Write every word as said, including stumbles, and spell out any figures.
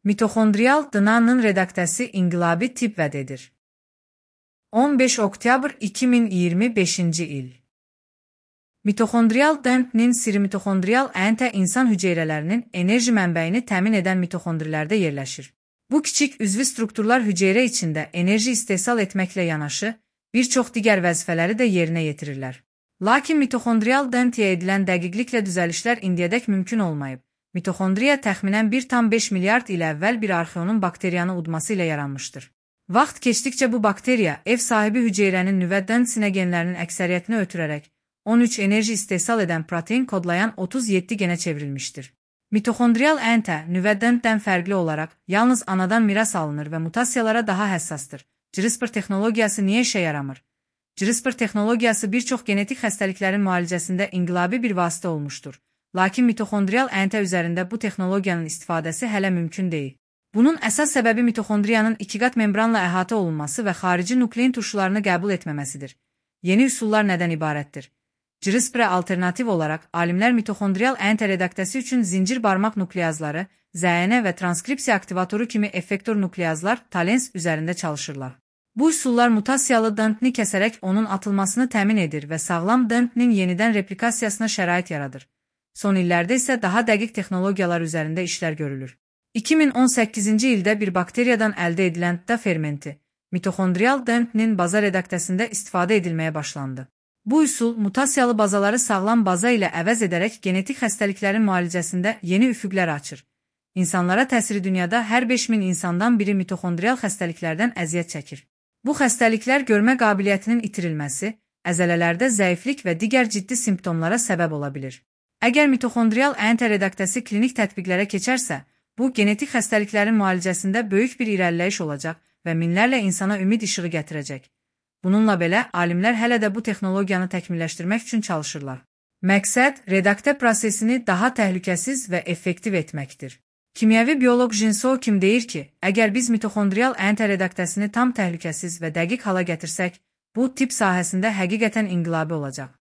Mitoxondrial D N A-nın redaktəsi inqilabi tip vəd edir. on beş oktyabr iki min iyirmi beşinci il. Mitoxondrial D N P-nin siri mitoxondrial A N T insan hüceyrələrinin enerji mənbəyini təmin edən mitoxondrilərdə yerləşir. Bu kiçik üzvü strukturlar hüceyrə içində enerji istehsal etməklə yanaşı, bir çox digər vəzifələri də yerinə yetirirlər. Lakin mitoxondrial D N P-yə edilən dəqiqliklə düzəlişlər indiyədək mümkün olmayıb. Mitoxondriya təxminən bir tam beş milyard il əvvəl bir arxeonun bakteriyanı udması ilə yaranmışdır. Vaxt keçdikcə bu bakteriya ev sahibi hüceyrənin nüvə D N P genlərinin əksəriyyətini ötürərək on üç enerji istehsal edən protein kodlayan otuz yeddi genə çevrilmişdir. Mitoxondrial A N T nüvə D N P-dən fərqli olaraq yalnız anadan miras alınır və mutasiyalara daha həssasdır. CRISPR texnologiyası niyə işə yaramır? CRISPR texnologiyası bir çox genetik xəstəliklərin müalicəsində inqilabi bir vasitə olmuşdur. Lakin mitoxondrial A N T üzərində bu texnologiyanın istifadəsi hələ mümkün deyil. Bunun əsas səbəbi mitoxondriyanın ikiqat membranla əhatə olunması və xarici nuklein turşularını qəbul etməməsidir. Yeni üsullar nədən ibarətdir? CRISPR-ə alternativ olaraq, alimlər mitoxondrial A N T redaktəsi üçün zincir barmaq nukleazları, Z N və transkripsiya aktivatoru kimi effektor nukleazlar talens üzərində çalışırlar. Bu üsullar mutasiyalı D N P-ni kəsərək onun atılmasını təmin edir və sağlam D N P-nin yenidən replikasiyasına şərait yaradır. Son illərdə isə daha dəqiq texnologiyalar üzərində işlər görülür. iki min on səkkizinci ildə bir bakteriyadan əldə edilən D fermenti, mitoxondrial D N P-nin baza redaktəsində istifadə edilməyə başlandı. Bu üsul, mutasiyalı bazaları sağlam baza ilə əvəz edərək genetik xəstəliklərin müalicəsində yeni üfüqlər açır. İnsanlara təsiri dünyada hər beş min insandan biri mitoxondrial xəstəliklərdən əziyyət çəkir. Bu xəstəliklər görmə qabiliyyətinin itirilməsi, əzələlərdə zəiflik və digər ciddi simptomlara səbəb ola bilir. Əgər mitoxondrial A N T redaktəsi klinik tətbiqlərə keçərsə, bu genetik xəstəliklərin müalicəsində böyük bir irəliləyiş olacaq və minlərlə insana ümid işığı gətirəcək. Bununla belə, alimlər hələ də bu texnologiyanı təkmilləşdirmək üçün çalışırlar. Məqsəd, redaktə prosesini daha təhlükəsiz və effektiv etməkdir. Kimyəvi bioloq Jinsoo Kim deyir ki, əgər biz mitoxondrial A N T redaktəsini tam təhlükəsiz və dəqiq hala gətirsək, bu tip sahəsində həqiqətən inqilabi olacaq.